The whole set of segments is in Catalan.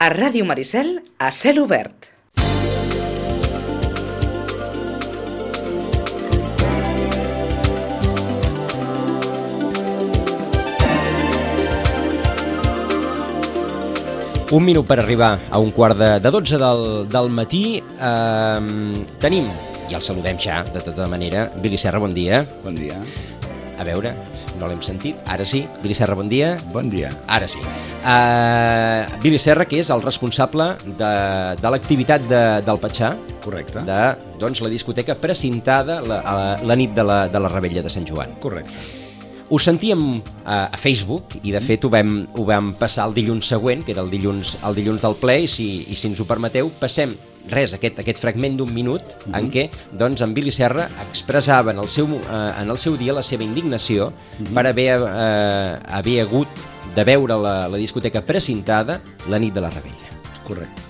A Ràdio Maricel, a cel obert. Un minut per arribar a un quart de 12 del matí. Tenim, i el saludem ja, de tota manera, Billy Serra, bon dia. Bon dia. A veure, no l'hem sentit. Ara sí. Billy Serra, bon dia. Bon dia. Ara sí. Billy Serra, que és el responsable de l'activitat del Patxà. Correcte. De la discoteca precintada la nit de la Revetlla de Sant Joan. Correcte. Ho sentíem a Facebook i de fet ho vam passar el dilluns següent, que era el dilluns del ple, i si ens ho permeteu passem aquest fragment d'un minut en què en Billy Serra expressava en el seu dia la seva indignació per haver hagut de veure la discoteca precintada la nit de la Revetlla. Correcto.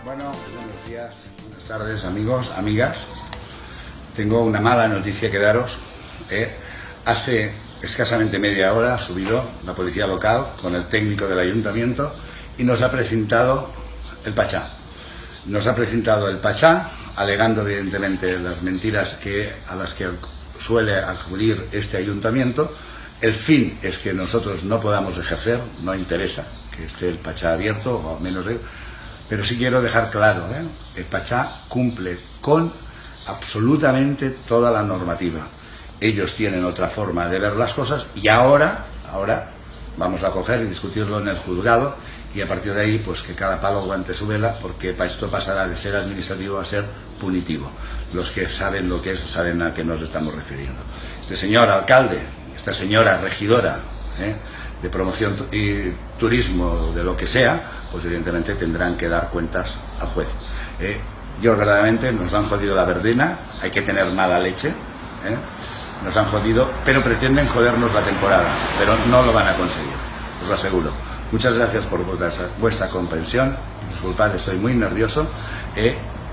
Bueno, buenos días, buenas tardes, amigos, amigas. Tengo una mala noticia que daros. Hace escasamente media hora ha subido la policía local con el técnico del ayuntamiento y nos ha precintado el Patxà. Nos ha precintado el Patxà, alegando evidentemente las mentiras a las que suele acudir este ayuntamiento. El fin es que nosotros no podamos ejercer, no interesa que esté el Patxà abierto, o al menos pero sí quiero dejar claro, el Patxà cumple con absolutamente toda la normativa. Ellos tienen otra forma de ver las cosas y ahora vamos a coger y discutirlo en el juzgado y a partir de ahí pues que cada palo aguante su vela, porque esto pasará de ser administrativo a ser punitivo. Los que saben lo que es saben a qué nos estamos refiriendo. Este señor alcalde, esta señora regidora de promoción y turismo, de lo que sea, pues evidentemente tendrán que dar cuentas al juez. Yo verdaderamente nos han jodido la verdina, hay que tener mala leche, nos han jodido, pero pretenden jodernos la temporada, pero no lo van a conseguir, os lo aseguro. Muchas gracias por vuestra comprensión, disculpad, estoy muy nervioso.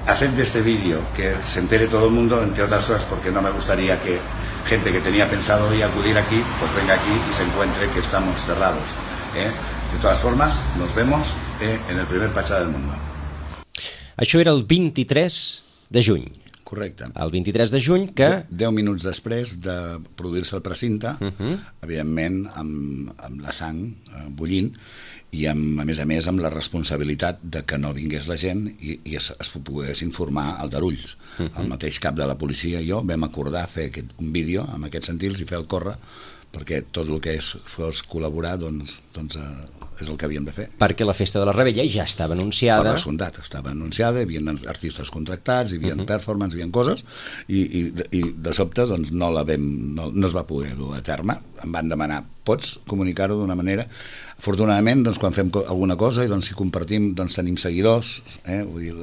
Haced de este vídeo que se entere todo el mundo, entre otras cosas porque no me gustaría que gente que tenía pensado hoy acudir aquí, pues venga aquí y se encuentre que estamos cerrados. De todas formas, nos vemos en el primer Patxà del mundo. Això era el 23 de juny. Correcte. El 23 de juny que... 10 minuts després de produir-se el precinte, evidentment amb la sang bullint i a més amb la responsabilitat de que no vingués la gent i es pogués informar al d'Arulls. El mateix cap de la policia i jo vam acordar fer un vídeo amb aquests sentils i fer el córrer perquè tot el que fos col·laborar doncs és el que havíem de fer. Perquè la festa de la Revetlla ja estava anunciada. Per descomptat, estava anunciada, hi havia artistes contractats, hi havia performance, hi havia coses, i de sobte doncs, no es va poder dur a terme. Em van demanar, pots comunicar-ho d'una manera? Afortunadament, doncs, quan fem alguna cosa i doncs, si compartim, doncs, tenim seguidors, vull dir,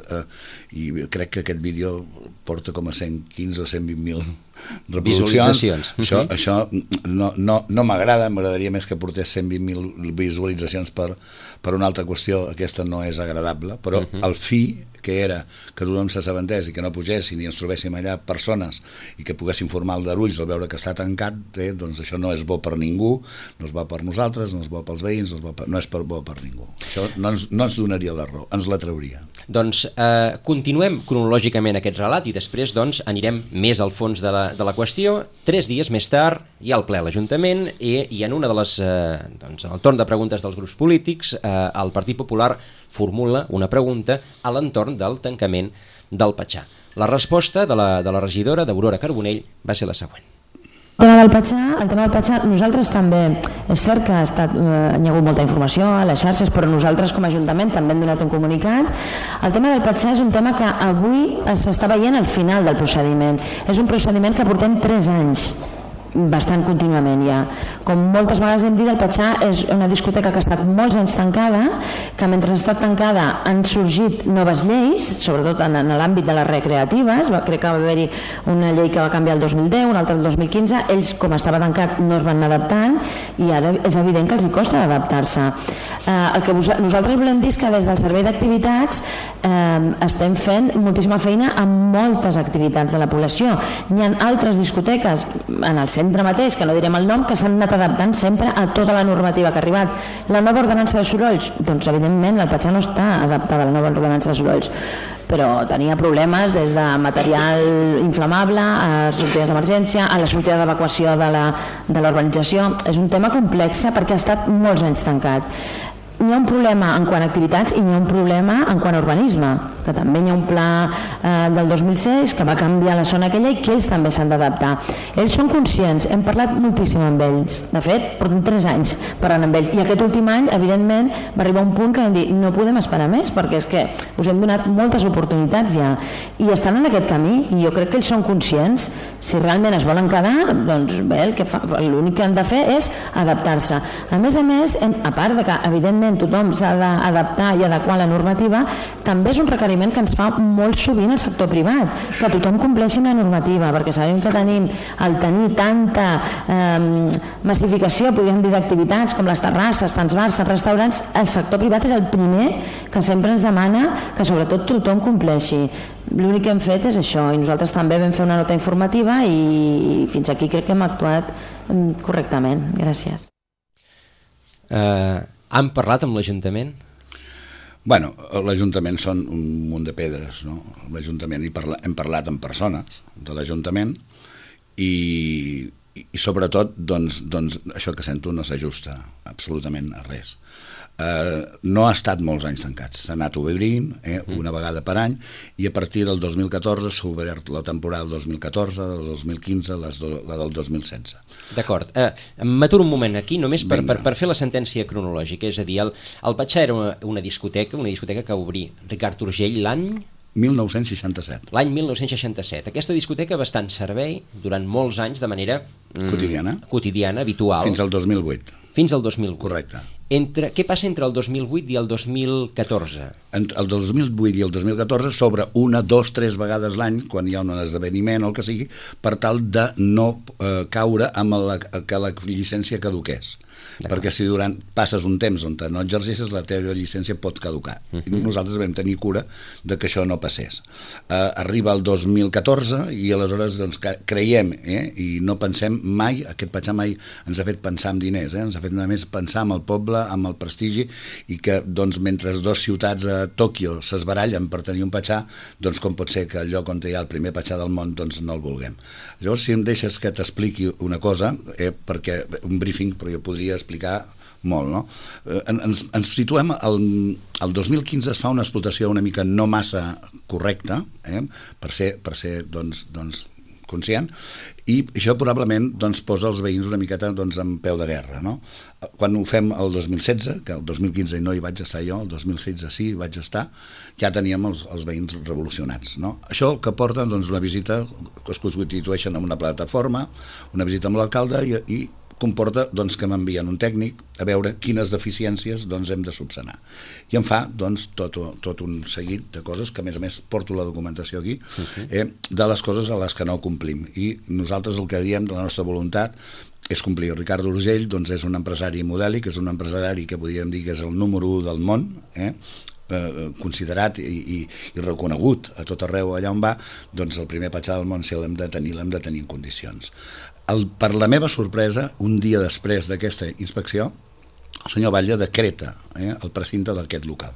i crec que aquest vídeo porta com a 115 o 120.000 visualitzacions. Això no m'agrada, m'agradaria més que portés 120.000 visualitzacions per una altra qüestió. Aquesta no és agradable, però el fi que era que tothom s'assabentés i que no pugessin i ens trobéssim allà persones i que poguessin formar el d'Arulls al veure que està tancat, doncs això no és bo per ningú, no és bo per nosaltres, no és bo pels veïns, no és bo per ningú. Això no ens donaria la raó, ens la trauria. Doncs continuem cronològicament aquest relat i després doncs anirem més al fons de la qüestió. 3 dies més tard hi ha el ple a l'Ajuntament i en una de les en el torn de preguntes dels grups polítics el Partit Popular formula una pregunta a l'entorn del tancament del Patxà. La resposta de la regidora d'Aurora Carbonell va ser la següent. El tema del Patxà, nosaltres també, és cert que hi ha hagut molta informació a les xarxes, però nosaltres com a Ajuntament també hem donat un comunicat. El tema del Patxà és un tema que avui s'està veient al final del procediment. És un procediment que portem 3 anys bastant contínuament ja. Com moltes vegades hem dit, el Patxà és una discoteca que ha estat molts anys tancada, que mentre ha estat tancada han sorgit noves lleis, sobretot en l'àmbit de les recreatives. Crec que va haver-hi una llei que va canviar el 2010, una altra el 2015. Ells, com estava tancat, no es van anar adaptant i ara és evident que els hi costa adaptar-se. El que nosaltres volem dir és que des del Servei d'Activitats estem fent moltíssima feina amb moltes activitats de la població. Hi ha altres discoteques en el centre centre mateix, que no direm el nom, que s'han anat adaptant sempre a tota la normativa que ha arribat. La nova ordenança de sorolls, doncs evidentment el Patxar no està adaptada a la nova ordenança de sorolls, però tenia problemes des de material inflamable a sortides d'emergència, a la sortida d'evacuació de la urbanització. És un tema complex perquè ha estat molts anys tancat. N'hi ha un problema en quant a activitats i n'hi ha un problema en quant a urbanisme, que també hi ha un pla del 2006 que va canviar la zona aquella i que ells també s'han d'adaptar. Ells són conscients, hem parlat moltíssim amb ells, de fet, portem 3 anys parlant amb ells, i aquest últim any, evidentment, va arribar un punt que vam dir, no podem esperar més, perquè és que us hem donat moltes oportunitats ja, i estan en aquest camí, i jo crec que ells són conscients. Si realment es volen quedar, doncs bé, l'únic que han de fer és adaptar-se. A més, a part de que, evidentment, tothom s'ha d'adaptar i adequar la normativa, també és un requeriment que ens fa molt sovint el sector privat, que tothom compleixi amb la normativa, perquè sabem que al tenir tanta massificació, podríem dir, d'activitats com les terrasses, tants bars, tants restaurants, el sector privat és el primer que sempre ens demana que sobretot tothom compleixi. L'únic que hem fet és això, i nosaltres també vam fer una nota informativa i fins aquí crec que hem actuat correctament. Gràcies. Han parlat amb l'Ajuntament? Bueno, l'Ajuntament són un munt de pedres, no? L'Ajuntament, hem parlat amb persones de l'Ajuntament i sobretot, doncs, això que sento no s'ajusta absolutament a res. No ha estat molts anys tancats, s'ha anat obrint una vegada per any, i a partir del 2014 s'ha obert la temporada del 2014, del 2015, la del 2016. D'acord, m'aturo un moment aquí només per fer la sentència cronològica, és a dir, el Patxar era una discoteca que va obrir Ricard Urgell l'any 1967. L'any 1967. Aquesta discoteca va estar en servei durant molts anys de manera quotidiana, habitual. Fins al 2008. Fins al 2008. Correcte. Què passa entre el 2008 i el 2014? El 2008 i el 2014 s'obre 1, 2, 3 vegades l'any, quan hi ha un esdeveniment o el que sigui, per tal de no caure amb que la llicència caduqués. Perquè si passes un temps on no exercisses, la teva llicència pot caducar. Nosaltres vam tenir cura de que això no passés. Arriba el 2014 i aleshores creiem i no pensem mai, aquest Patxar mai ens ha fet pensar en diners, ens ha fet només pensar en el poble, amb el prestigi, i que mentre 2 ciutats a Tòquio s'esbarallen per tenir un Patxar, doncs com pot ser que el lloc on hi ha el primer Patxar del món no el vulguem. Llavors, si em deixes que t'expliqui una cosa, perquè un briefing, però jo podria explicar molt, no? Ens situem el 2015, es fa una explotació una mica no massa correcta, per ser conscient, i això probablement posa els veïns una miqueta en peu de guerra, no? Quan ho fem el 2016, que el 2015 no hi vaig estar jo, el 2016 sí hi vaig estar, ja teníem els veïns revolucionats, no? Això que porta una visita, que es constitueixen en una plataforma, una visita amb l'alcalde, i comporta que m'envien un tècnic a veure quines deficiències hem de subsanar. I em fa tot un seguit de coses, que a més porto la documentació aquí, de les coses a les que no complim. I nosaltres el que diem de la nostra voluntat és complir. Ricard Urgell és un empresari modèlic, és un empresari que podríem dir que és el número 1 del món, considerat i reconegut a tot arreu allà on va, el primer Patxar del món, si l'hem de tenir en condicions. Per la meva sorpresa, un dia després d'aquesta inspecció, el senyor Batlle decreta el precinte d'aquest local.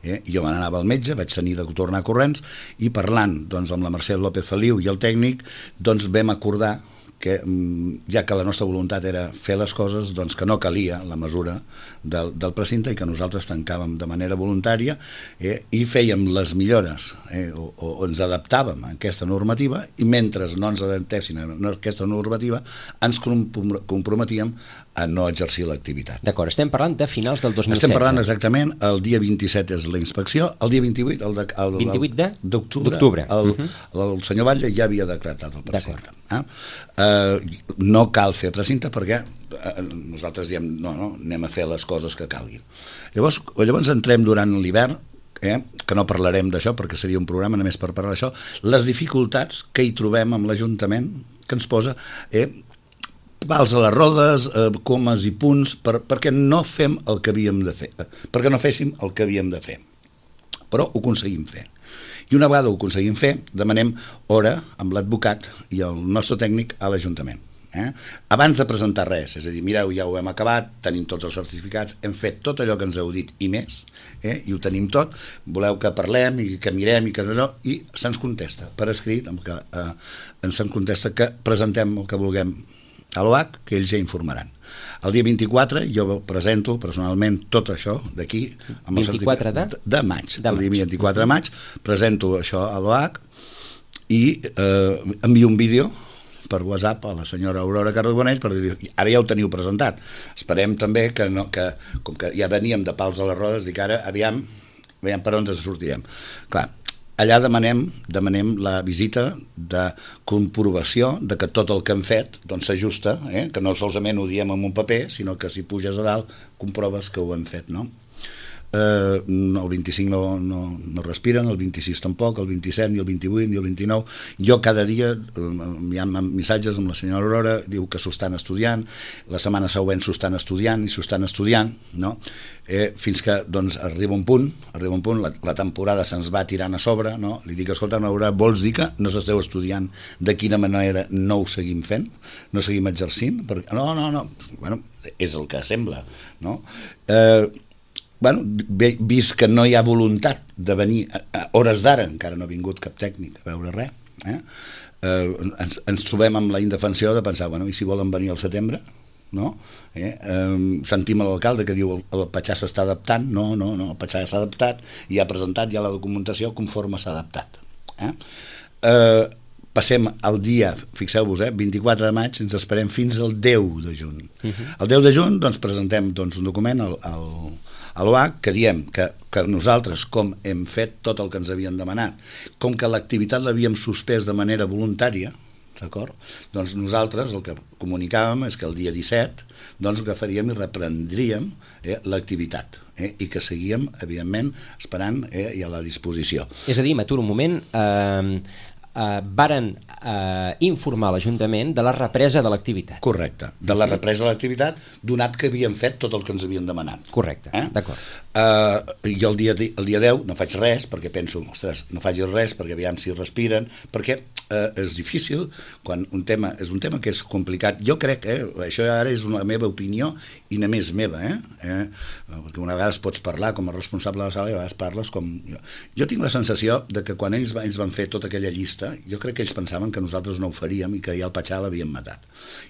Jo me n'anava al metge, vaig tenir de tornar corrents, i parlant amb la Mercè López Feliu i el tècnic, vam acordar que, ja que la nostra voluntat era fer les coses, que no calia la mesura del precinte i que nosaltres tancàvem de manera voluntària i fèiem les millores o ens adaptàvem a aquesta normativa, i mentre no ens adaptéssim a aquesta normativa ens comprometíem a no exercir l'activitat. D'acord, estem parlant de finals del 2016. Estem parlant exactament, el dia 27 és la inspecció, el dia 28 d'octubre el senyor Batlle ja havia decretat el precinte. No cal fer precinte perquè nosaltres diem no, anem a fer les coses que calguin. Llavors entrem durant l'hivern, que no parlarem d'això perquè seria un programa només per parlar d'això, les dificultats que hi trobem amb l'Ajuntament, que ens posa pals a les rodes, comes i punts, perquè no fem el que havíem de fer, perquè no féssim el que havíem de fer. Però ho aconseguim fer. I una vegada ho aconseguim fer, demanem hora amb l'advocat i el nostre tècnic a l'Ajuntament. Abans de presentar res, és a dir, mireu, ja ho hem acabat, tenim tots els certificats, hem fet tot allò que ens heu dit i més, i ho tenim tot, voleu que parlem i que mirem i que no, i se'ns contesta per escrit, se'ns contesta que presentem el que vulguem a l'OH, que ells ja informaran. El dia 24 jo presento personalment tot això d'aquí, amb el 24 de maig. El dia 24 de maig presento això a l'OH i envio un vídeo per WhatsApp a la senyora Aurora Carbonell per dir, ara ja ho teniu presentat, esperem també que com que ja veníem de pals a les rodes, dic ara aviam per on ens sortirem. Clar, allà demanem la visita de comprovació de que tot el que hem fet doncs s'ajusta, que no solament ho diem en un paper, sinó que si puges a dalt comproves que ho hem fet, no? El 25 no respiren, el 26 tampoc, el 27 ni el 28 ni el 29. Jo cada dia hi ha missatges amb la senyora Aurora, diu que s'ho estan estudiant, la setmana següent s'ho estan estudiant, no? Fins que doncs, arriba un punt, la temporada se'ns va tirant a sobre, no? Li dic, escolta, Aurora, vols dir que no s'esteu estudiant de quina manera no ho seguim fent? No seguim exercint? Perquè, no, bueno, és el que sembla, no? Vist que no hi ha voluntat de venir a hores d'ara, encara no ha vingut cap tècnic a veure res, ens trobem amb la indefensió de pensar, i si volen venir al setembre, no? Sentim l'alcalde que diu el Patxà s'està adaptant, no, el Patxà s'ha adaptat i ha presentat ja la documentació conforme s'ha adaptat. Passem el dia, fixeu-vos, 24 de maig, ens esperem fins al 10 de juny. El 10 de juny doncs, presentem un document a l'OH que diem que nosaltres, com hem fet tot el que ens havien demanat, com que l'activitat l'havíem suspès de manera voluntària, d'acord? Doncs nosaltres el que comunicàvem és que el dia 17 doncs agafaríem i reprendríem l'activitat i que seguíem, evidentment, esperant i a la disposició. És a dir, m'aturo un moment, varen informar l'Ajuntament de la represa de l'activitat. Correcte, de la represa de l'activitat, donat que havíem fet tot el que ens havien demanat. Correcte, d'acord. Jo el dia 10 no faig res, perquè penso, ostres, no faig res, perquè aviam si respiren, perquè és difícil, quan és un tema que és complicat. Jo crec, això ara és la meva opinió i només meva, perquè una vegada pots parlar com a responsable de la sala i a vegades parles com... Jo tinc la sensació de que quan ells van fer tota aquella llista, jo crec que ells pensaven que nosaltres no ho faríem i que ja el Patxà l'havien matat.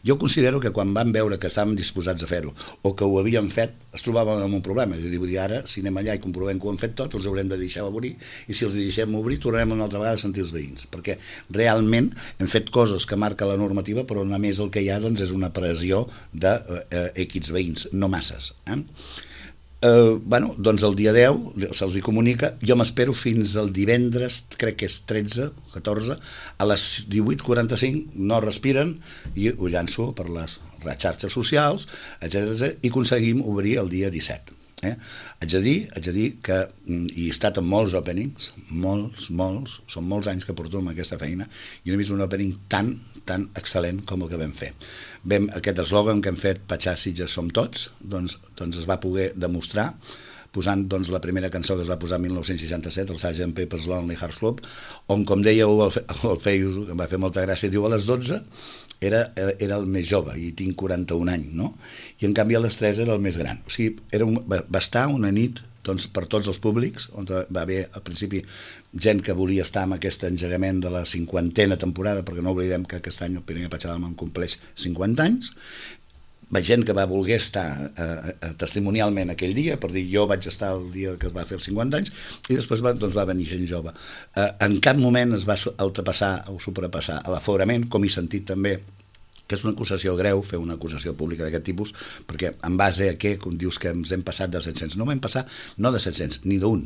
Jo considero que quan van veure que estàvem disposats a fer-ho o que ho havíem fet, es trobaven amb un problema. És a dir, vull dir, ara, si anem allà i comprovem que ho han fet tot, els haurem de deixar obrir, i si els deixem obrir, tornarem una altra vegada a sentir els veïns, perquè realment hem fet coses que marca la normativa, però només el que hi ha doncs, és una pressió de X veïns, no masses. Doncs el dia 10 se'ls hi comunica, jo m'espero fins al divendres, crec que és 13 o 14, a les 18:45 no respiren i ho llanço per les xarxes socials, etc. i aconseguim obrir el dia 17. Haig de dir que he estat en molts openings, molts, són molts anys que porto amb aquesta feina i no he vist un opening tan excel·lent com el que vam fer. Aquest eslògan que hem fet, Patxà Sitges som tots, doncs es va poder demostrar posant la primera cançó que es va posar en 1967, el Sgt. Pepper's Lonely Hearts Club, on, com dèieu al Facebook, em va fer molta gràcia, diu a les 12 era el més jove i tinc 41 anys, no? I en canvi a les 3 era el més gran. O sigui, va estar una nit per tots els públics, on va haver al principi gent que volia estar en aquest engegament de la 50a temporada, perquè no oblidem que aquest any el Pirineu Patxà d'Almà compleix 50 anys, gent que va voler estar testimonialment aquell dia, per dir jo vaig estar el dia que es va fer els 50 anys, i després va venir gent jove. En cap moment es va ultrapassar o superpassar l'aforament, com he sentit també, que és una acusació greu, fer una acusació pública d'aquest tipus, perquè en base a què, com dius que ens hem passat de 700, no vam passar no de 700, ni d'un,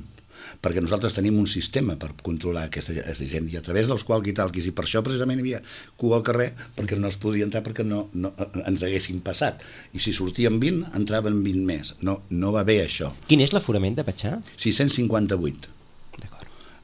perquè nosaltres tenim un sistema per controlar aquesta gent i a través dels walkie-talkies, i per això precisament hi havia cua al carrer, perquè no es podia entrar perquè no ens haguessin passat, i si sortíem 20 entraven 20 més, no va bé això. Quin és l'aforament de Patxà? 658.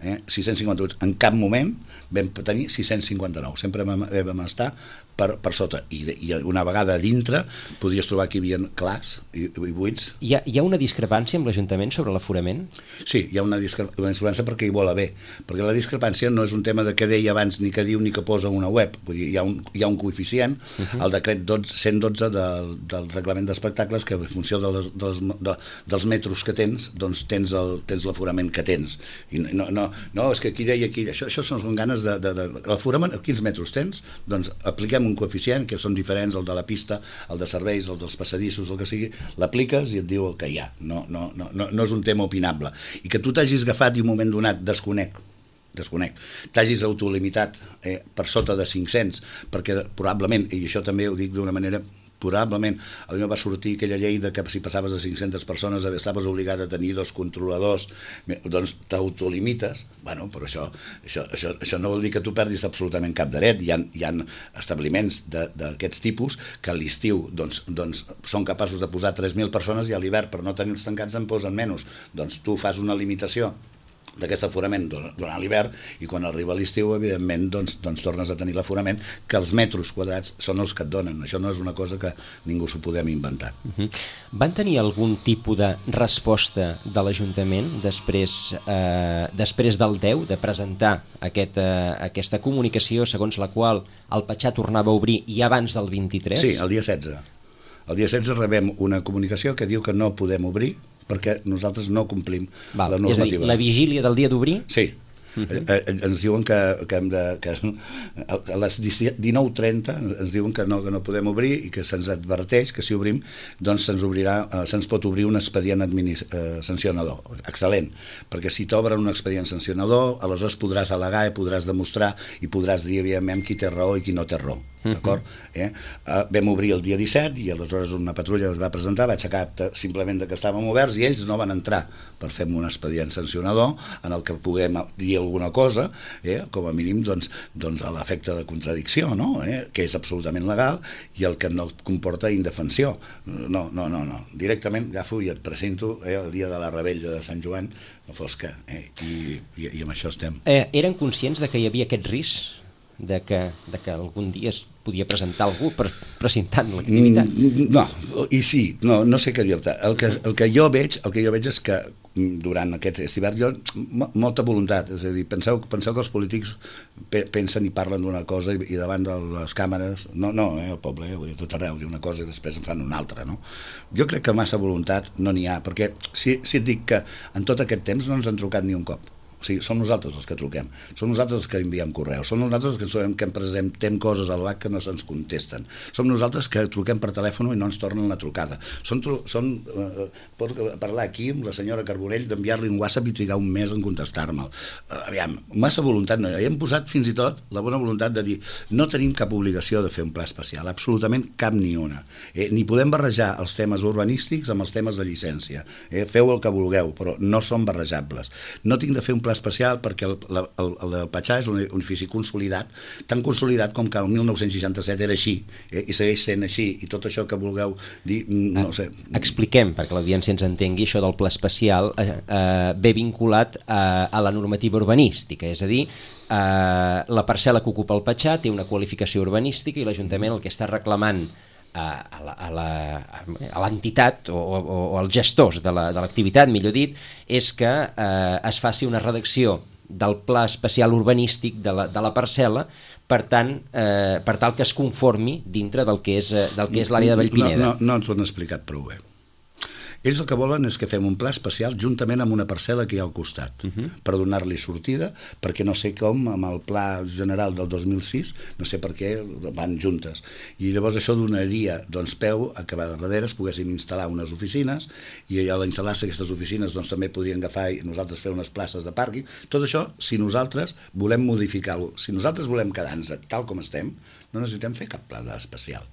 658. En cap moment vam tenir 659. Sempre vam estar per sota. I una vegada a dintre podies trobar que hi havia clars i buits. Hi ha una discrepància amb l'Ajuntament sobre l'aforament? Sí, hi ha una discrepància perquè hi vol haver. Perquè la discrepància no és un tema de què deia abans, ni què diu, ni què posa una web. Vull dir, hi ha un coeficient, el decret 112 del reglament d'espectacles, que en funció dels metres que tens, doncs tens l'aforament que tens. I no, és que aquí deia aquí, això són ganes de l'aforament, quins metres tens? Doncs apliquem un coeficient que són diferents, el de la pista, el de serveis, el dels passadissos, el que sigui, l'apliques i et diu el que hi ha. No és un tema opinable. I que tu t'hagis agafat i un moment donat desconec, t'hagis autolimitat per sota de 500, perquè probablement, i això també ho dic d'una manera, probablement a mi va sortir aquella llei de que si passaves de 500 persones estaves obligat a tenir 2 controladors, doncs t'autolimites. Bueno, però això no vol dir que tu perdis absolutament cap dret. Hi ha establiments d'aquests tipus que a l'estiu doncs, són capaços de posar 3.000 persones i a l'hivern, per no tenir-los tancats, en posen menys. Doncs tu fas una limitació d'aquest aforament durant l'hivern i quan arriba l'estiu, evidentment, doncs tornes a tenir l'aforament, que els metres quadrats són els que et donen. Això no és una cosa que ningú s'ho podem inventar. Van tenir algun tipus de resposta de l'Ajuntament després del 10 de presentar aquesta comunicació segons la qual el Patxar tornava a obrir i abans del 23? Sí, el dia 16. El dia 16 rebem una comunicació que diu que no podem obrir perquè nosaltres no complim la normativa. És a dir, la vigília del dia d'obrir? Sí. Ens diuen que a les 19:30 ens diuen que no podem obrir i que se'ns adverteix que si obrim doncs se'ns pot obrir un expedient sancionador. Excel·lent, perquè si t'obren un expedient sancionador aleshores podràs al·legar i podràs demostrar i podràs dir evidentment qui té raó i qui no té raó. D'acord? Vam obrir el dia 17 i aleshores una patrulla es va presentar, va aixecar simplement que estàvem oberts i ells no van entrar per fer un expedient sancionador en el que puguem dir alguna cosa, com a mínim doncs a l'efecte de contradicció, que és absolutament legal i el que no comporta indefensió. No. Directament agafo i et presento el dia de la rebella de Sant Joan, no fos que, i amb això estem. Eren conscients de que hi havia aquest risc? De que algun dia es podia presentar algú presentant l'activitat? No, i sí, no sé què dir-te. El que jo veig és que durant aquest hivern molta voluntat, és a dir, penseu que els polítics pensen i parlen d'una cosa i davant de les càmeres, el poble, tot arreu diu una cosa i després en fan una altra, no? Jo crec que massa voluntat no n'hi ha, perquè si et dic que en tot aquest temps no ens han trucat ni un cop. O sigui, som nosaltres els que truquem, som nosaltres els que enviem correus, som nosaltres que presentem coses a l'OAC que no se'ns contesten, som nosaltres que truquem per telèfon i no ens tornen la trucada. Pot parlar aquí amb la senyora Carbonell d'enviar-li un WhatsApp i trigar un mes en contestar-me'l. Aviam, massa voluntat no hi ha. Hem posat fins i tot la bona voluntat de dir no tenim cap obligació de fer un pla especial, absolutament cap ni una. Ni podem barrejar els temes urbanístics amb els temes de llicència. Feu el que vulgueu, però no són barrejables. No tinc de fer un pla especial perquè el Patxar és un edifici consolidat, tan consolidat com que el 1967 era així, i segueix sent així, i tot això que vulgueu dir, no ho sé. Expliquem, perquè l'audiència ens entengui, això del pla especial ve vinculat a la normativa urbanística, és a dir, la parcel·la que ocupa el Patxar té una qualificació urbanística i l'Ajuntament el que està reclamant a l'entitat o als gestors de l'activitat, millor dit, és que es faci una redacció del pla especial urbanístic de la parcel·la per tal que es conformi dintre del que és l'àrea de Vallpineda. No ens ho han explicat prou bé. Ells el que volen és que fem un pla especial juntament amb una parcel·la que hi ha al costat, per donar-li sortida, perquè no sé com, amb el pla general del 2006, no sé per què van juntes. I llavors això donaria peu a que a darrere es poguéssim instal·lar unes oficines, i a instal·lar-se aquestes oficines també podrien agafar i nosaltres fer unes places de pàrquing. Tot això, si nosaltres volem modificar-ho, si nosaltres volem quedar-nos tal com estem, no necessitem fer cap pla especial.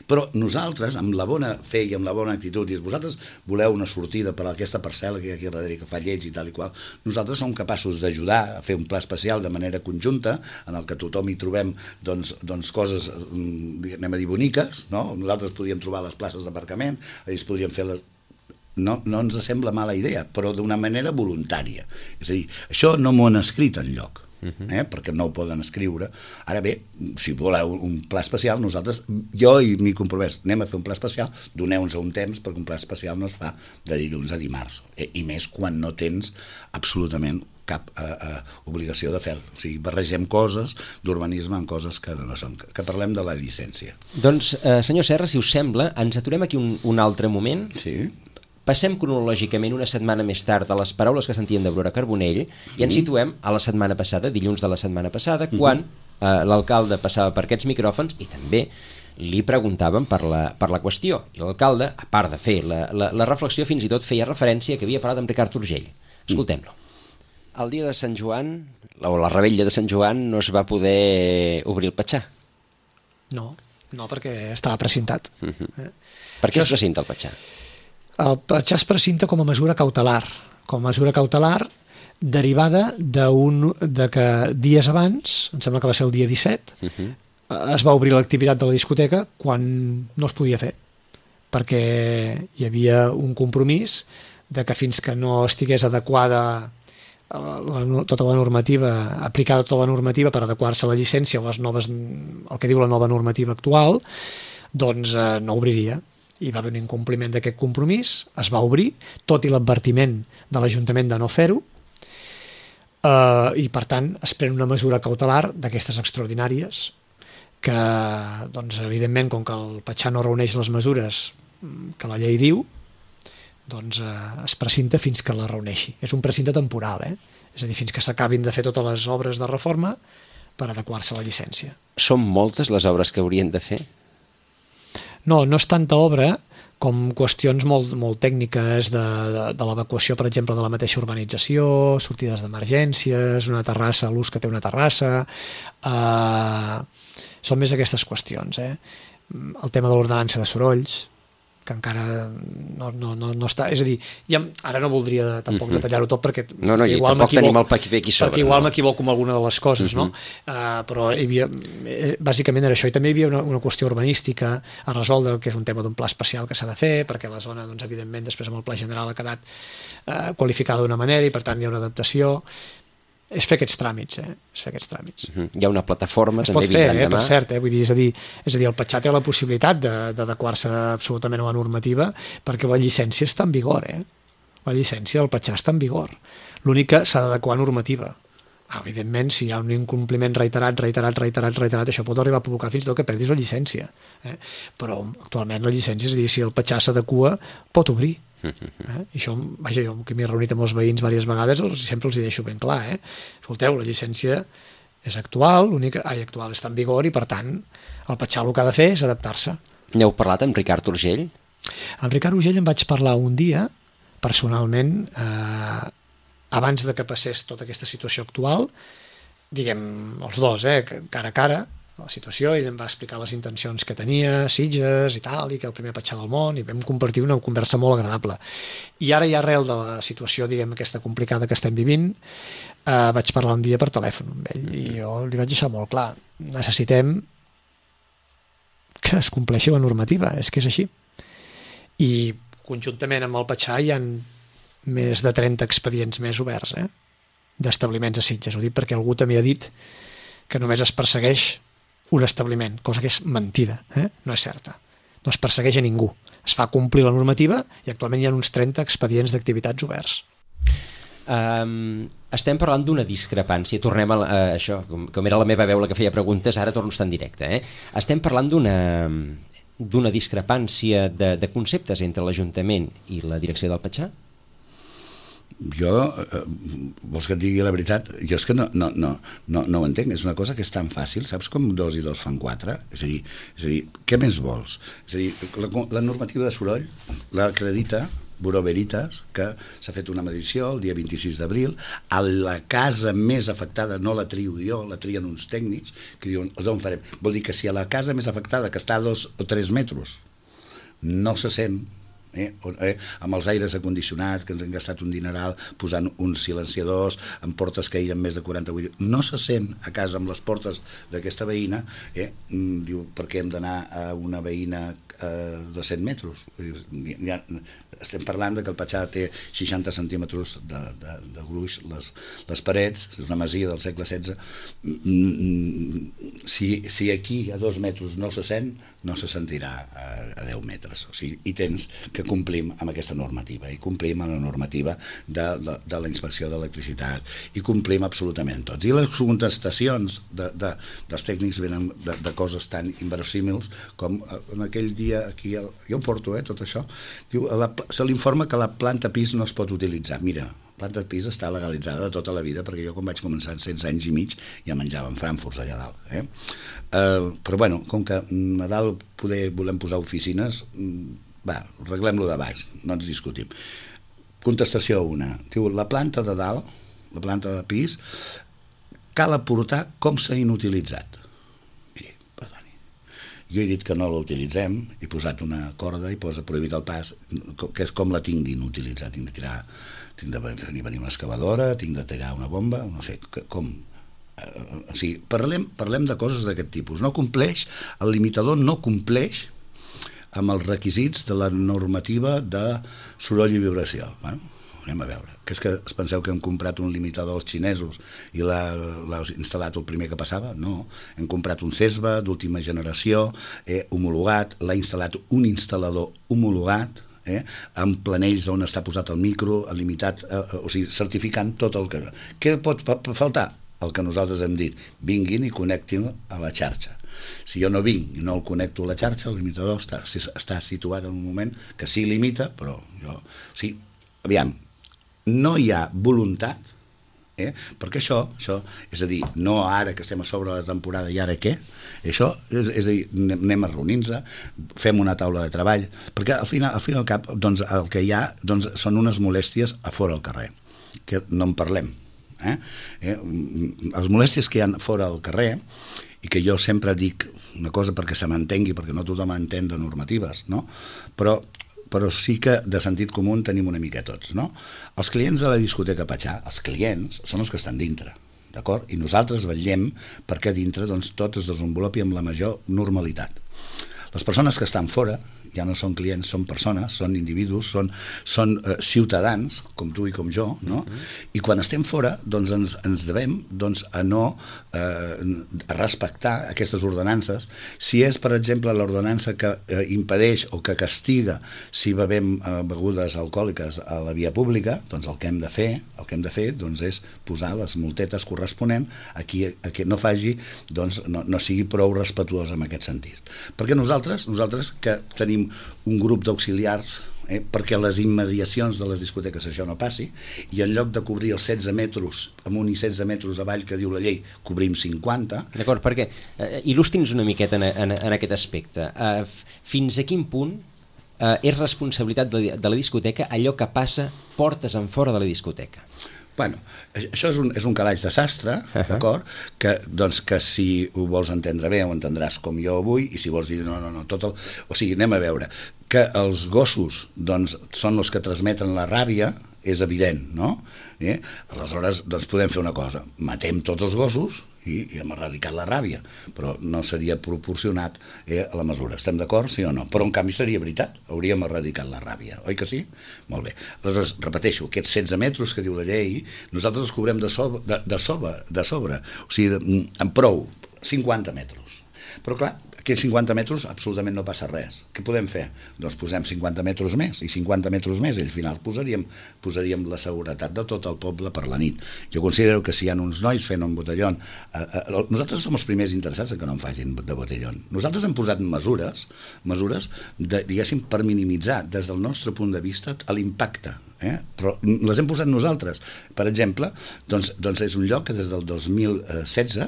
Però nosaltres, amb la bona fe i amb la bona actitud, i vosaltres voleu una sortida per a aquesta parcel·la que hi ha aquí darrere que fa lleig i tal i qual, nosaltres som capaços d'ajudar a fer un pla especial de manera conjunta en el que tothom hi trobem coses, anem a dir, boniques, no? Nosaltres podríem trobar les places d'aparcament, ells podrien fer no ens sembla mala idea, però d'una manera voluntària. És a dir, això no m'ho han escrit enlloc, perquè no ho poden escriure. Ara bé, si voleu un pla especial, nosaltres, jo i m'hi compromès, anem a fer un pla especial, doneu-nos un temps, perquè un pla especial no es fa de dilluns a dimarts, i més quan no tens absolutament cap obligació de fer. O sigui, barregem coses d'urbanisme amb coses que no són, que parlem de la llicència. Doncs, senyor Serra, si us sembla, ens aturem aquí un altre moment. Sí. Passem cronològicament una setmana més tard a les paraules que sentíem d'Aurora Carbonell i ens situem a la setmana passada, dilluns de la setmana passada, quan l'alcalde passava per aquests micròfons i també li preguntàvem per la qüestió. I l'alcalde, a part de fer la reflexió, fins i tot feia referència que havia parlat amb Ricard Urgell. Escoltem-lo. El dia de Sant Joan, o la revetlla de Sant Joan, no es va poder obrir el Patxà. No, perquè estava precintat. Per què es precinta el Patxà? El Patxà es precinta com a mesura cautelar. Com a mesura cautelar derivada de que dies abans, em sembla que va ser el dia 17, es va obrir l'activitat de la discoteca quan no es podia fer. Perquè hi havia un compromís de que fins que no estigués adequada tota la normativa, aplicada tota la normativa per adequar-se a la llicència o les noves, el que diu la nova normativa actual, doncs no obriria. Hi va haver un incompliment d'aquest compromís, es va obrir, tot i l'advertiment de l'Ajuntament de no fer-ho, i per tant es pren una mesura cautelar d'aquestes extraordinàries que, doncs, evidentment, com que el Patxà no reuneix les mesures que la llei diu, doncs es precinta fins que la reuneixi. És un precinte temporal, és a dir, fins que s'acabin de fer totes les obres de reforma per adequar-se a la llicència. Són moltes les obres que haurien de fer? No és tanta obra com qüestions molt tècniques de l'evacuació, per exemple, de la mateixa urbanització, sortides d'emergències, una terrassa, l'ús que té una terrassa... Són més aquestes qüestions. El tema de l'ordenança de sorolls, que encara no està... És a dir, ara no voldria tampoc detallar-ho tot perquè igual m'equivoco amb alguna de les coses, no? Però hi havia, bàsicament era això, i també hi havia una qüestió urbanística a resoldre, que és un tema d'un pla especial que s'ha de fer, perquè la zona, doncs, evidentment, després amb el pla general ha quedat qualificada d'una manera i, per tant, hi ha una adaptació. És fer aquests tràmits, és fer aquests tràmits. Hi ha una plataforma, es també vindran demà. Per cert, vull dir, és a dir, el Patxà té la possibilitat d'adequar-se absolutament a la normativa perquè la llicència està en vigor, La llicència del Patxà està en vigor. L'únic que s'ha d'adequar a normativa. Evidentment, si hi ha un incompliment reiterat, això pot arribar a provocar fins i tot que perdis la llicència. Però actualment la llicència, és a dir, si el Patxà s'adequa, pot obrir. I això, vaja, jo que m'he reunit amb els veïns diverses vegades sempre els hi deixo ben clar, escolteu, la llicència és actual, actual està en vigor i per tant el Patxà el que ha de fer és adaptar-se. N'heu parlat amb Ricard Urgell? Amb Ricard Urgell em vaig parlar un dia personalment abans de que passés tota aquesta situació actual, diguem els dos, cara a cara la situació, i em va explicar les intencions que tenia, Sitges i tal, i que el primer Patxà del món, i vam compartir una conversa molt agradable. I ara ja arrel de la situació, diguem, aquesta complicada que estem vivint, vaig parlar un dia per telèfon amb ell, i jo li vaig deixar molt clar, necessitem que es compleixi la normativa, és que és així. I conjuntament amb el Patxà hi ha més de 30 expedients més oberts, d'establiments a Sitges. Ho dic perquè algú també ha dit que només es persegueix un establiment, cosa que és mentida, no és certa. No es persegueix a ningú. Es fa complir la normativa i actualment hi ha uns 30 expedients d'activitats oberts. Estem parlant d'una discrepància. Tornem a això, com era la meva veu la que feia preguntes, ara torno a estar en directe. Estem parlant d'una discrepància de conceptes entre l'Ajuntament i la direcció del Patxà? Jo, vols que et digui la veritat? Jo és que no ho entenc, és una cosa que és tan fàcil, saps com 2 i 2 fan 4? És a dir, què més vols? És a dir, la normativa de soroll l'acredita Bureau Veritas, que s'ha fet una medició el dia 26 d'abril, a la casa més afectada no la trio jo, la trien uns tècnics que diuen, d'on farem? Vol dir que si a la casa més afectada, que està a 2 o 3 metres, no se sent, amb els aires acondicionats, que ens han gastat un dineral posant uns silenciadors amb portes que eren més de 48, no se sent a casa amb les portes d'aquesta veïna, diu, perquè hem d'anar a una veïna a 200 metres. Ja estem parlant que el Patxà té 60 centímetres de gruix, les parets, és una masia del segle XVI. Si aquí a 2 metres no se sent, no se sentirà a 10 metres. O sigui, i tens que complim amb aquesta normativa, i complim amb la normativa de la inspecció d'electricitat, i complim absolutament tots. I les contestacions dels tècnics venen de coses tan inverosímils com en aquell dia aquí, jo ho porto, tot això, diu, se l'informa que la planta pis no es pot utilitzar. Mira, la planta pis està legalitzada de tota la vida, perquè jo quan vaig començar en 16 anys i mig ja menjàvem frankfurts allà dalt. Però bueno, com que a dalt volem posar oficines, va, arreglem-lo de baix, no ens discutim. Contestació 1. Diu, la planta de dalt, la planta de pis, cal aportar com s'ha inutilitzat. Miri, perdoni. Jo he dit que no l'utilitzem, he posat una corda i posa prohibit el pas, que és com la tinguin utilitzat. Tinc de venir una excavadora, tinc de tirar una bomba, no sé, com... O sigui, parlem de coses d'aquest tipus. No compleix, el limitador no compleix amb els requisits de la normativa de soroll i vibració. Bueno, anem a veure. Que és que es penseu que hem comprat un limitador als xinesos i l'ha instal·lat el primer que passava? No. Hem comprat un CESBA d'última generació, homologat, l'ha instal·lat un instal·lador homologat, amb planells on està posat el micro, limitat, o sigui, certificant tot el que... Què pot faltar? El que nosaltres hem dit, vinguin i connectin a la xarxa. Si jo no vinc i no el connecto a la xarxa, el limitador està situat en un moment que sí limita, però jo... O sigui, aviam, no hi ha voluntat, perquè això, és a dir, no ara que estem a sobre la temporada i ara què? Això, és a dir, anem a reunir-nos, fem una taula de treball, perquè al final al cap, doncs, el que hi ha són unes molèsties a fora al carrer, que no en parlem. Les molèsties que hi ha fora al carrer, i que jo sempre dic una cosa perquè se m'entengui, perquè no tothom entén de normatives, no? Però sí que de sentit comú en tenim una mica tots, no? Els clients de la discoteca Patxà, els clients són els que estan dintre, d'acord? I nosaltres vetllem perquè dintre doncs, tot es desenvolupi amb la major normalitat. Les persones que estan fora ja no són clients, són persones, són individus, són ciutadans, com tu i com jo, no? I quan estem fora, doncs ens devem a no respectar aquestes ordenances. Si és, per exemple, l'ordenança que impedeix o que castiga si bevem begudes alcohòliques a la via pública, doncs el que hem de fer doncs, és posar les multetes corresponents a qui no faci, doncs no sigui prou respetuós en aquest sentit. Perquè nosaltres que tenim un grup d'auxiliars perquè a les immediacions de les discoteques això no passi, i en lloc de cobrir els 16 metres amunt i 16 metres avall que diu la llei, cobrim 50. D'acord, perquè il·lustri'ns una miqueta en aquest aspecte. Fins a quin punt és responsabilitat de la discoteca allò que passa portes en fora de la discoteca? Bueno, això és un calaix de sastre, d'acord? Que si ho vols entendre bé ho entendràs com jo avui, i si vols dir no, o sigui, anem a veure, que els gossos són els que transmeten la ràbia, és evident, no? Aleshores, doncs podem fer una cosa, matem tots els gossos i hem erradicat la ràbia, però no seria proporcionat a la mesura. Estem d'acord, sí o no? Però en canvi seria veritat, hauríem erradicat la ràbia, oi que sí? Molt bé. Aleshores, repeteixo, aquests 16 metres que diu la llei, nosaltres els cobrem de sobre, o sigui, en prou, 50 metres. Però clar, aquests 50 metres absolutament no passa res. Què podem fer? Doncs posem 50 metres més, i 50 metres més, i al final posaríem la seguretat de tot el poble per la nit. Jo considero que si hi ha uns nois fent un botellón, nosaltres som els primers interessats en que no en facin de botellón. Nosaltres hem posat mesures diguéssim, per minimitzar des del nostre punt de vista l'impacte, però les hem posat nosaltres. Per exemple, doncs és un lloc que des del 2016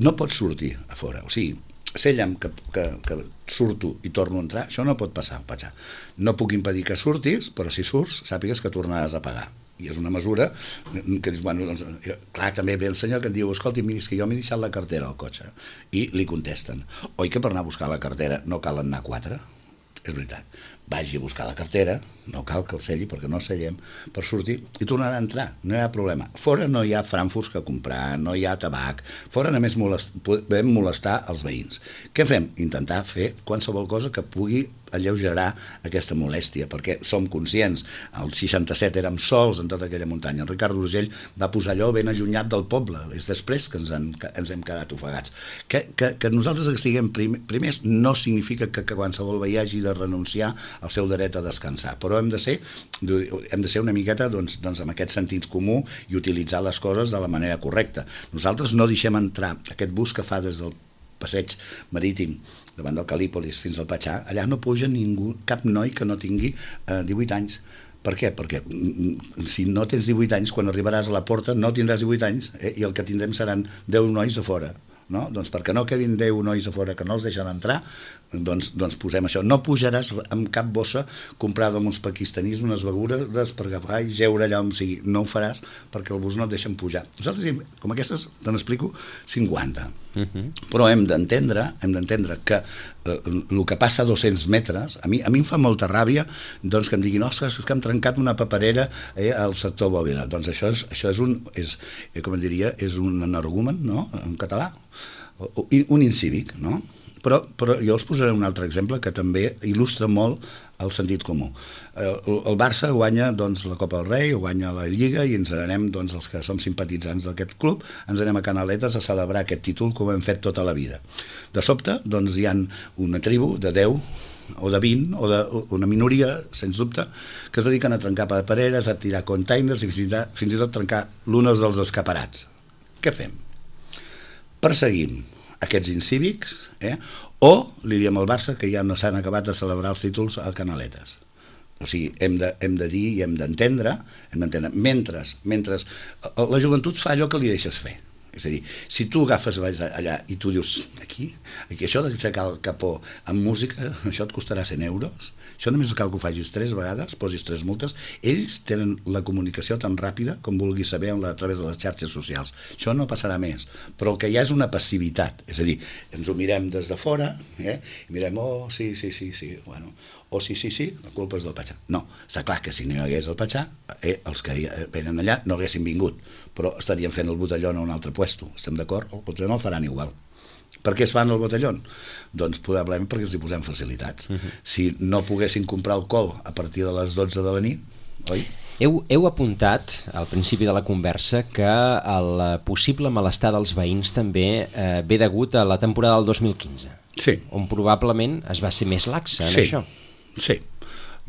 no pot sortir a fora, o sigui, Sèllem que surto i torno a entrar, això no pot passar, Patxà. No puc impedir que surtis, però si surts, sàpigues que tornaràs a pagar. I és una mesura que dius, bueno, doncs, clar, també ve el senyor que et diu, escolti, miri, és que jo m'he deixat la cartera al cotxe. I li contesten, oi que per anar a buscar la cartera no cal anar 4? És veritat, vagi a buscar la cartera, no cal que el selli perquè no sellem per sortir i tornarà a entrar, no hi ha problema. Fora no hi ha frankfurts que comprar, no hi ha tabac, fora només podem molestar els veïns. Què fem? Intentar fer qualsevol cosa que pugui alleugerar aquesta molèstia, perquè som conscients, el 67 érem sols en tota aquella muntanya, el Ricard Rosell va posar allò ben allunyat del poble, és després que ens hem quedat ofegats. Que nosaltres siguem primers no significa que qualsevol veí hagi de renunciar al seu dret a descansar, però hem de ser una miqueta doncs, amb aquest sentit comú i utilitzar les coses de la manera correcta. Nosaltres no deixem entrar aquest bus que fa des del passeig marítim davant del Calípolis fins al Patxà, allà no puja ningú, cap noi que no tingui 18 anys. Per què? Perquè si no tens 18 anys, quan arribaràs a la porta no tindràs 18 anys i el que tindrem seran 10 nois a fora. No? Doncs perquè no quedin 10 nois a fora que no els deixen entrar, doncs posem això. No pujaràs amb cap bossa comprada amb uns pakistanis, unes begudes per agafar i geure allà on sigui. No ho faràs perquè el bus no et deixen pujar. Nosaltres, com aquestes, te n'explico 50. Però hem d'entendre que el que passa a 200 metres, a mi em fa molta ràbia doncs, que em diguin, ostres, és que hem trencat una paperera al sector Bòbila. Doncs això és un energumen, no?, en català, un incívic, no? Però jo us posaré un altre exemple que també il·lustra molt el sentit comú. El Barça guanya doncs, la Copa del Rei, guanya la Lliga i ens anem, doncs, els que som simpatitzants d'aquest club, ens anem a Canaletes a celebrar aquest títol com hem fet tota la vida. De sobte, doncs, hi ha una tribu de 10 o de 20 o una minoria, sens dubte, que es dediquen a trencar papereres, a tirar containers i fins i tot trencar l'unes dels escaparats. Què fem? Perseguim aquests incívics, o li diem al Barça que ja no s'han acabat de celebrar els títols a Canaletes. O sigui, hem de dir i hem d'entendre, mentre la joventut fa allò que li deixes fer. És a dir, si tu agafes, vas allà i tu dius, aquí això d'aixecar el capó amb música, això et costarà 100 euros, això només cal que ho facis 3 vegades, posis 3 multes, ells tenen la comunicació tan ràpida com vulguis saber a través de les xarxes socials. Això no passarà més, però el que hi ha és una passivitat, és a dir, ens ho mirem des de fora, i mirem, oh, sí, bueno, o sí, la culpa és del Patxà. No, està clar que si no hi hagués el Patxà, els que venen allà no haguessin vingut, però estarien fent el botellón a un altre puesto, estem d'acord? Potser no el faran igual. Per què es fan el botellón? Doncs probablement perquè els hi posem facilitats. Si no poguessin comprar alcohol a partir de les 12 de la nit, oi? Heu apuntat al principi de la conversa que el possible malestar dels veïns també ve degut a la temporada del 2015, sí, on probablement es va ser més laxa en això. Sí,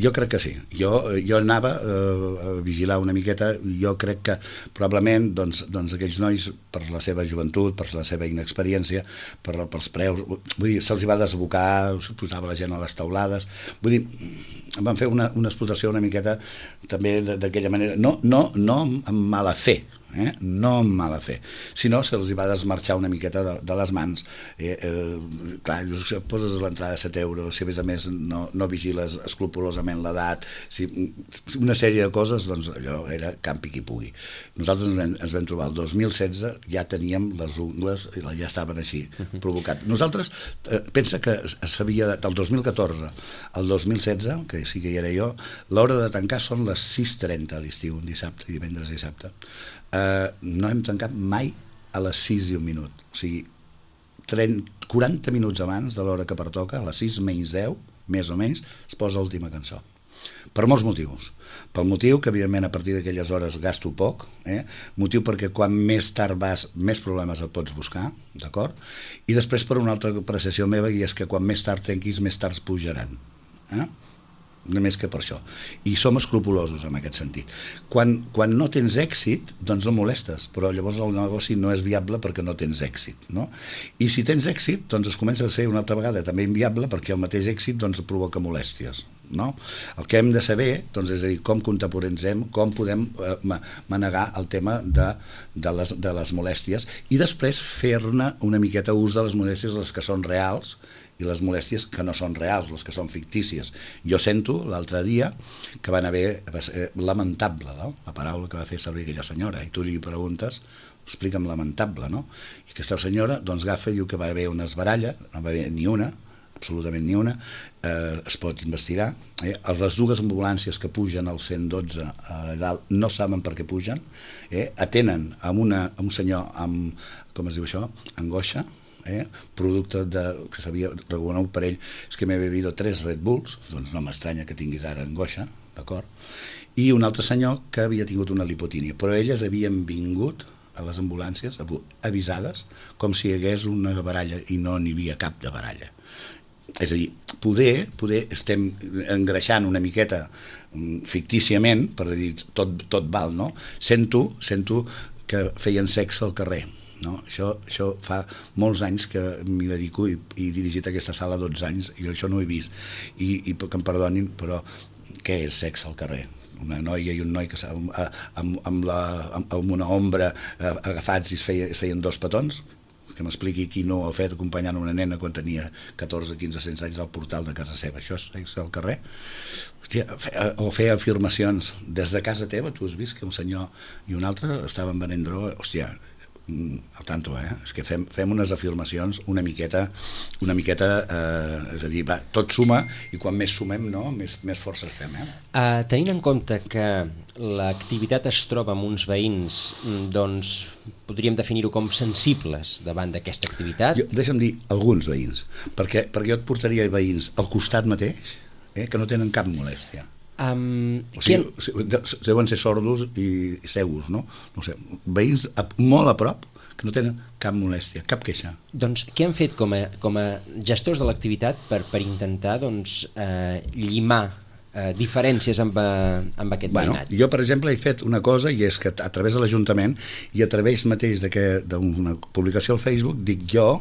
jo crec que sí. Jo anava a vigilar una miqueta. Jo crec que probablement doncs aquells nois, per la seva joventut, per la seva inexperiència, pels preus, vull dir, se'ls va desbocar, se'ls posava la gent a les taulades, vull dir, van fer una explotació una miqueta també d'aquella manera, no amb mala fe, no amb mala fe, sinó se'ls va desmarxar una miqueta de les mans. Clar, poses l'entrada a 7 euros, si a més no vigiles escrupolosament l'edat, una sèrie de coses, doncs allò era campi qui pugui. Nosaltres ens vam trobar el 2016, ja teníem les ungles, ja estaven així, provocat. Nosaltres, pensa que s'havia, del 2014 al 2016, que sí que hi era jo, l'hora de tancar són les 6:30 a l'estiu, un dissabte, divendres i dissabte. No hem tancat mai a les 6 i un minut, o sigui 40 minuts abans de l'hora que pertoca, a les 6 menys 10 més o menys, es posa l'última cançó, per molts motius. Pel motiu que evidentment a partir d'aquelles hores gasto poc, motiu perquè quan més tard vas més problemes et pots buscar, d'acord? I després per una altra apreciació meva, i és que quan més tard tanquis més tard pujaran, només que per això, i som escrupulosos en aquest sentit. Quan no tens èxit, doncs no molestes, però llavors el negoci no és viable perquè no tens èxit, no? I si tens èxit, doncs es comença a ser una altra vegada també inviable perquè el mateix èxit doncs provoca molèsties, no? El que hem de saber, doncs, és a dir, com contemporitzem, com podem manegar el tema de les molèsties i després fer-ne una miqueta ús de les molèsties, les que són reals, i les molèsties que no són reals, les que són fictícies. Jo sento l'altre dia que va ser lamentable, no? La paraula que va fer servir aquella senyora, i tu li preguntes, explica'm lamentable, no? I aquesta senyora doncs agafa i diu que va haver una baralla, no va haver ni una, absolutament ni una, es pot investigar. Les dues ambulàncies que pugen al 112 a dalt no saben per què pugen, atenen a un senyor amb, com es diu això, angoixa, producte que s'havia reconegut per ell, és que m'he bebido 3 Red Bulls, doncs no m'estranya que tinguis ara angoixa, d'acord? I un altre senyor que havia tingut una lipotínia, però elles havien vingut a les ambulàncies avisades com si hi hagués una baralla i no n'hi havia cap de baralla. És a dir, poder estem engreixant una miqueta fictíciament, per dir tot val, no? Sento que feien sexe al carrer, no? Això fa molts anys que m'hi dedico i he dirigit aquesta sala 12 anys i això no ho he vist i que em perdonin, però què és sexe al carrer? Una noia i un noi que amb una ombra agafats i es feien 2 petons? Que m'expliqui qui no ho ha fet acompanyant una nena quan tenia 14, 15, 16 anys al portal de casa seva. Això és sexe al carrer? Hòstia, o fer afirmacions des de casa teva. Tu has vist que un senyor i un altre estaven venent droga? Hòstia, al tanto, és que fem unes afirmacions una miqueta és a dir, va, tot suma i quan més sumem, no, més forces fem. Tenint en compte que l'activitat es troba amb uns veïns, doncs podríem definir-ho com sensibles davant d'aquesta activitat? Deixa'm dir alguns veïns, perquè jo et portaria veïins al costat mateix que no tenen cap molèstia. O sigui, deuen ser sordos i cegos, no? No sé, veïns molt a prop que no tenen cap molèstia, cap queixa. Doncs què han fet com a gestors de l'activitat per intentar llimar diferències amb aquest veïnat? Jo, per exemple, he fet una cosa i és que a través de l'Ajuntament i a través mateix d'una publicació al Facebook dic jo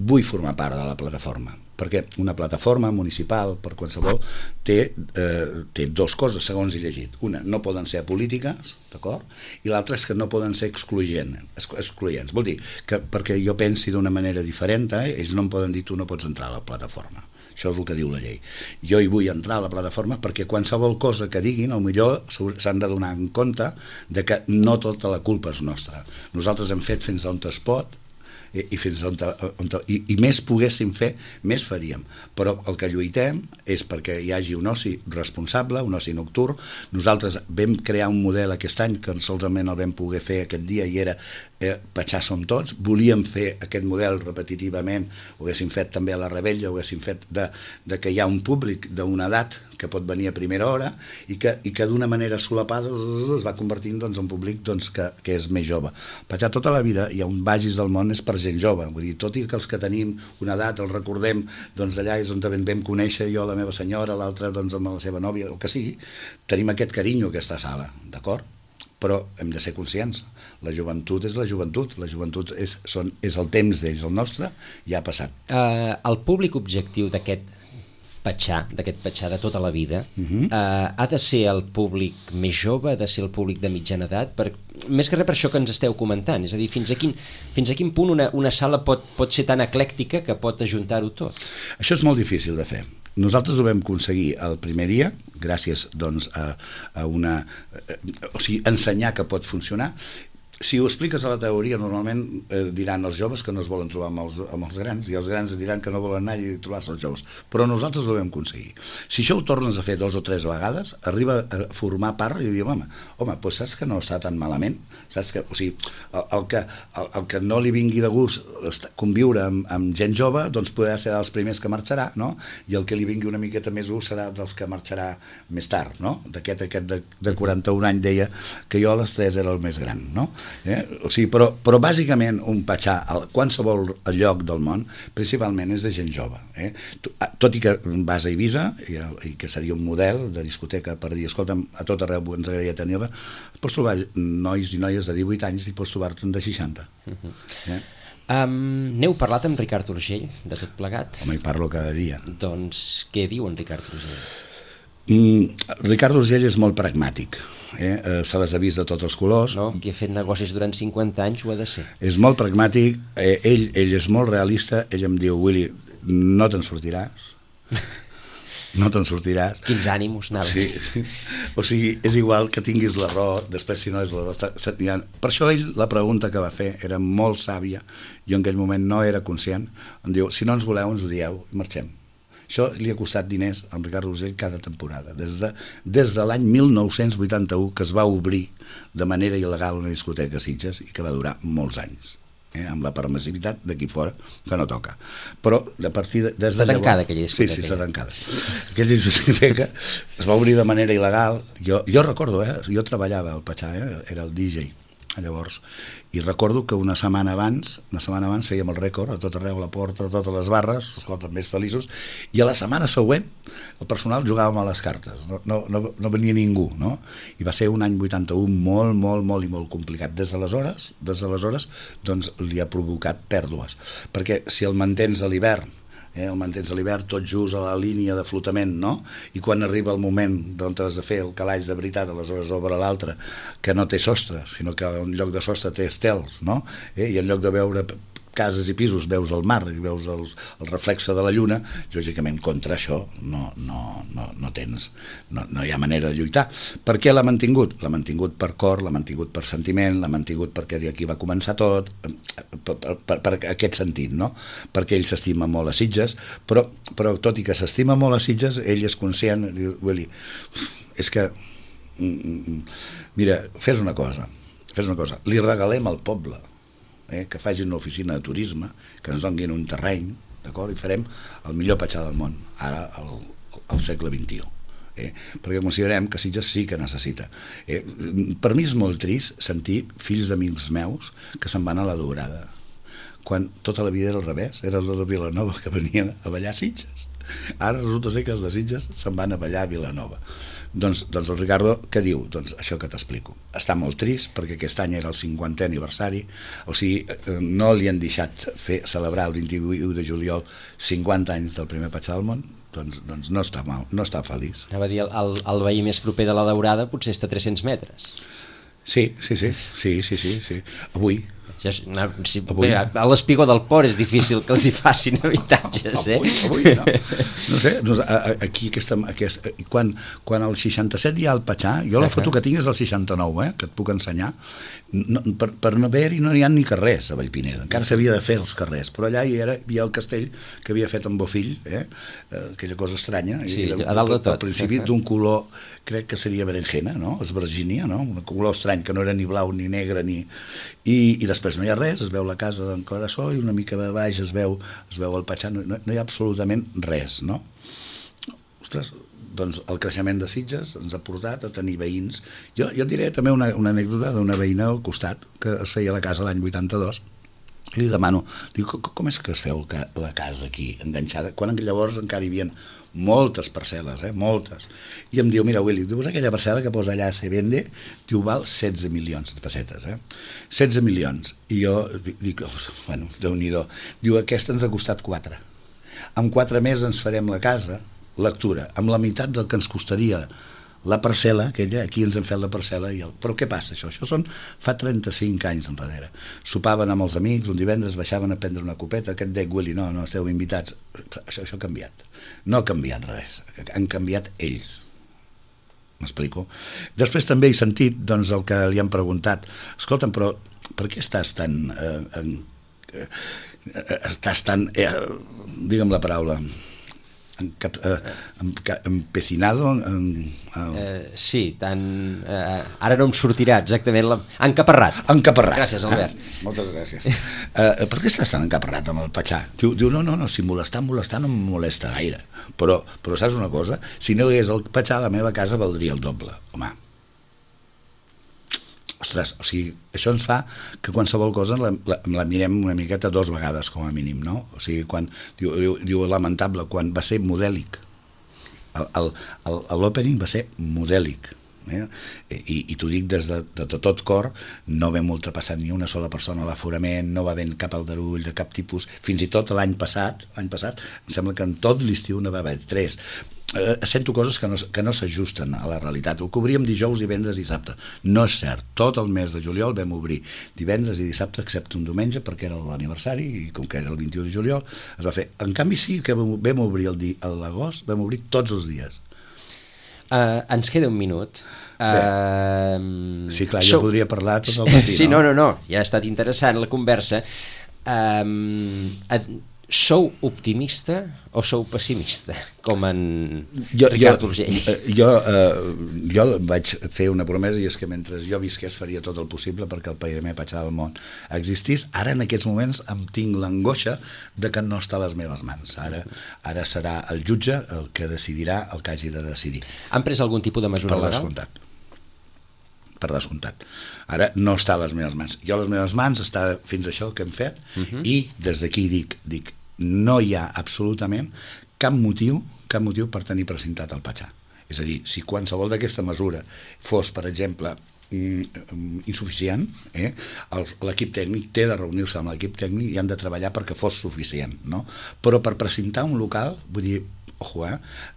vull formar part de la plataforma, perquè una plataforma municipal per qualsevol té 2 coses, segons he llegit. Una, no poden ser polítiques, d'acord? I l'altra és que no poden ser excloents. Vol dir que perquè jo pensi d'una manera diferent, ells no em poden dir tu no pots entrar a la plataforma. Això és el que diu la llei. Jo hi vull entrar a la plataforma perquè qualsevol cosa que diguin, potser s'han de donar en compte de que no tota la culpa és nostra. Nosaltres hem fet fins on es pot i fins on més poguéssim fer, més faríem. Però el que lluitem és perquè hi hagi un oci responsable, un oci nocturn. Nosaltres vam crear un model aquest any que solament el vam poder fer aquest dia i era Patxar som tots. Volíem fer aquest model repetitivament, ho haguéssim fet també a la Rebella, ho haguéssim fet de que hi ha un públic d'una edat que pot venir a primera hora i que d'una manera solapada es va convertint en un públic que és més jove. Patxar tota la vida i on vagis del món és per gent jove, vull dir, tot i que els que tenim una edat els recordem, doncs allà és on vam conèixer jo la meva senyora, l'altra doncs amb la seva nòvia, el que sigui, tenim aquest carinyo a aquesta sala, d'acord? Però hem de ser conscients, la joventut és la joventut és el temps d'ells, el nostre ja ha passat. El públic objectiu d'aquest Patxar de tota la vida, ha de ser el públic més jove, ha de ser el públic de mitjana edat, més que res per això que ens esteu comentant, és a dir, fins a quin punt una sala pot ser tan eclèctica que pot ajuntar-ho tot? Això és molt difícil de fer. Nosaltres ho vam aconseguir el primer dia, gràcies doncs, a ensenyar que pot funcionar. Si ho expliques a la teoria, normalment diran els joves que no es volen trobar amb els grans i els grans diran que no volen anar i trobar-se els joves. Però nosaltres ho vam aconseguir. Si això ho tornes a fer 2 o 3 vegades, arriba a formar part i diu, home, doncs saps que no està tan malament? Saps que, o sigui, el que no li vingui de gust conviure amb gent jove, doncs podrà ser dels primers que marxarà, no? I el que li vingui una miqueta més gust serà dels que marxarà més tard, no? Aquest de 41 anys deia que jo a les 3 era el més gran, no? O sigui, però bàsicament un Patxar a qualsevol lloc del món principalment és de gent jove, tot i que vas a Eivissa i que seria un model de discoteca per dir, escolta'm, a tot arreu ens agradaria tenir-la, pots trobar nois i noies de 18 anys i pots trobar-te'n de 60. N'heu parlat amb Ricard Urgell de tot plegat? Home, hi parlo cada dia. Doncs què diu en Ricard Urgell? Ricard Urgell és molt pragmàtic, se les ha vist de tots els colors, qui ha fet negocis durant 50 anys ho ha de ser, és molt pragmàtic, ell és molt realista. Ell em diu, Willy, no te'n sortiràs, quins ànims anava. Sí. O sigui, és igual que tinguis la raó, després si no és la raó per això ell, la pregunta que va fer era molt sàvia, jo en aquell moment no era conscient, em diu, si no ens voleu ens odieu i marxem. Això li ha costat diners a Ricard Urgell cada temporada, des de l'any 1981 que es va obrir de manera il·legal una discoteca a Sitges i que va durar molts anys. amb la permissivitat d'aquí fora, que no toca. Però a partir de... Està tancada aquella discoteca. Sí, està tancada. Aquella discoteca es va obrir de manera il·legal. Jo recordo, jo treballava al Patxà, era el DJ, llavors, i recordo que una setmana abans fèiem el rècord a tot arreu, a la porta, a totes les barres, escolta, més feliços, i a la setmana següent el personal jugàvem a les cartes, no venia ningú, no? I va ser un any 81 molt i molt complicat. Des d'aleshores, doncs li ha provocat pèrdues, perquè si el mantens a l'hivern, el mantens a l'hivern tot just a la línia de flotament, no? I quan arriba el moment on has de fer el calaix de veritat, aleshores obre l'altre, que no té sostre, sinó que en lloc de sostre té estels, no? I en lloc de veure cases i pisos veus el mar i veus el reflexe de la lluna, lògicament contra això no hi ha manera de lluitar. Per què l'ha mantingut? L'ha mantingut per cor, l'ha mantingut per sentiment, l'ha mantingut perquè d'aquí va començar tot, per aquest sentit, no? Perquè ell s'estima molt a Sitges, però tot i que s'estima molt a Sitges, ell és conscient, diu, Willy, és que mira, fes una cosa, li regalem al poble que facin una oficina de turisme, que ens donin un terreny, d'acord? I farem el millor Patxà del món, ara al segle XXI. Perquè considerem que Sitges sí que necessita. Per mi és molt trist sentir fills d'amics meus que se'n van a la Daurada, quan tota la vida era al revés, era els de Vilanova que venien a ballar a Sitges. Ara resulta ser que els de Sitges se'n van a ballar a Vilanova. Doncs el Ricardo, què diu? Doncs això que t'explico. Està molt trist perquè aquest any era el 50è aniversari, o sigui, no li han deixat celebrar el 28 de juliol 50 anys del primer Patxà del món, doncs no està mal, no està feliç. Anava a dir, el veí més proper de la Daurada potser està a 300 metres. Sí. Avui. A l'Espigó del Port és difícil que els hi facin habitatges, Avui no. No sé, aquí quan al 67 hi ha el Patxà, jo la foto que tinc és el 69, que et puc ensenyar, per no haver-hi no hi ha ni carrers a Vallpineda, encara s'havia de fer els carrers, però allà hi havia el castell que havia fet en Bofill, aquella cosa estranya, a dalt de tot, al principi d'un color, crec que seria berenjena, no? Esvergínia, no? Un color estrany que no era ni blau ni negre i després no hi ha res, es veu la casa d'en Clarasó i una mica de baix es veu el Patxà, no hi ha absolutament res, no? Ostres, doncs el creixement de Sitges ens ha portat a tenir veïns. Jo et diré també una anècdota d'una veïna al costat que es feia la casa l'any 82 i li demano, diu, com és que es feu la casa aquí enganxada, quan llavors encara hi havia moltes parcel·les, moltes, i em diu, mira Willy, dius aquella parcel·la que posa allà se vende, diu, val 16 milions de pessetes, 16 milions, i jo dic, bueno, Déu-n'hi-do, diu, aquesta ens ha costat 4, amb 4 més ens farem la casa, lectura, amb la meitat del que ens costaria la parcel·la, aquella, aquí ens hem fet la parcel·la, però què passa això? Això fa 35 anys enrere. Sopaven amb els amics, un divendres baixaven a prendre una copeta, que et dec, Willy, no, esteu invitats. Això ha canviat. No ha canviat res, han canviat ells. M'explico? Després també he sentit doncs, el que li han preguntat, escolta'm, però per què estàs tan digue'm la paraula, empecinado, sí, ara no em sortirà exactament encaparrat. Gràcies, Albert. Moltes gràcies. Per què estàs tan encaparrat amb el Patxà? Diu, no, si molestar no em molesta gaire, però saps una cosa? Si no hi hagués el Patxà, la meva casa valdria el doble. Home, ostres, o sigui, això ens fa que qualsevol cosa la mirem una miqueta 2 vegades com a mínim, no? O sigui, quan diu lamentable, quan va ser modèlic, l'opening va ser modèlic, i t'ho dic des de tot cor, no vam ultrapassar ni una sola persona a l'aforament, no va haver cap aldarull de cap tipus, fins i tot l'any passat, em sembla que en tot l'estiu no va haver 3. Sento coses que no s'ajusten a la realitat. Ho cobríem dijous, divendres i dissabte. No és cert. Tot el mes de juliol vam obrir divendres i dissabte, excepte un diumenge, perquè era l'aniversari, i com que era el 21 de juliol, es va fer. En canvi, sí que vam obrir l'agost, vam obrir tots els dies. Ens queda un minut. Sí, clar, jo podria parlar tot el matí. Sí, no, ja ha estat interessant la conversa. Sou optimista o sou pessimista? Com en Ricard Urgell. Jo vaig fer una promesa, i és que mentre jo visqués faria tot el possible perquè el primer Patxà del món existís. Ara, en aquests moments, em tinc l'angoixa de que no està a les meves mans. Ara serà el jutge el que decidirà el que hagi de decidir. Han pres algun tipus de mesura legal? Per descomptat. Ara no està a les meves mans. Jo a les meves mans està fins això que hem fet, i des d'aquí dic, no hi ha absolutament cap motiu per tenir presentat el Patxà. És a dir, si qualsevol d'aquesta mesura fos, per exemple, insuficient, l'equip tècnic té de reunir-se amb l'equip tècnic i han de treballar perquè fos suficient, no? Però per presentar un local, vull dir,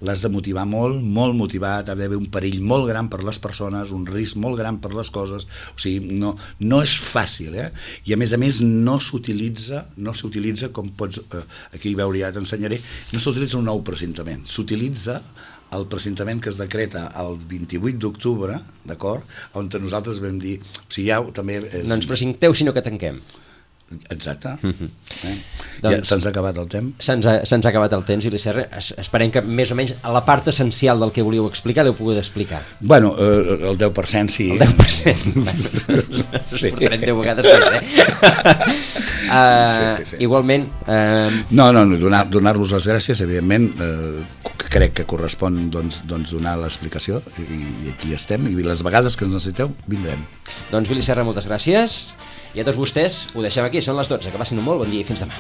l'has de motivar molt motivat, ha d'haver un perill molt gran per les persones, un risc molt gran per les coses, o sigui, no és fàcil, i a més no s'utilitza com pots, aquí veure, ja t'ensenyaré, no s'utilitza un nou presentament, s'utilitza el presentament que es decreta el 28 d'octubre, d'acord, on nosaltres vam dir, o sigui, ja també... No ens presenteu, sinó que tanquem. Exacte. Ja se'ns ha acabat el temps. Se'ns ha acabat el temps, Juli Serra. Esperem que més o menys a la part essencial del que volíeu explicar l'heu pogut explicar. Bueno, el 10% sí. El 10%. Sí. Portarem 10 vegades més, Sí. Igualment... No, donar-vos les gràcies, evidentment, crec que correspon donar l'explicació, i aquí estem, i les vegades que ens necessiteu vindrem. Doncs Juli Serra, moltes gràcies. I a tots vostès ho deixem aquí, són les 12, que passin un molt bon dia i fins demà.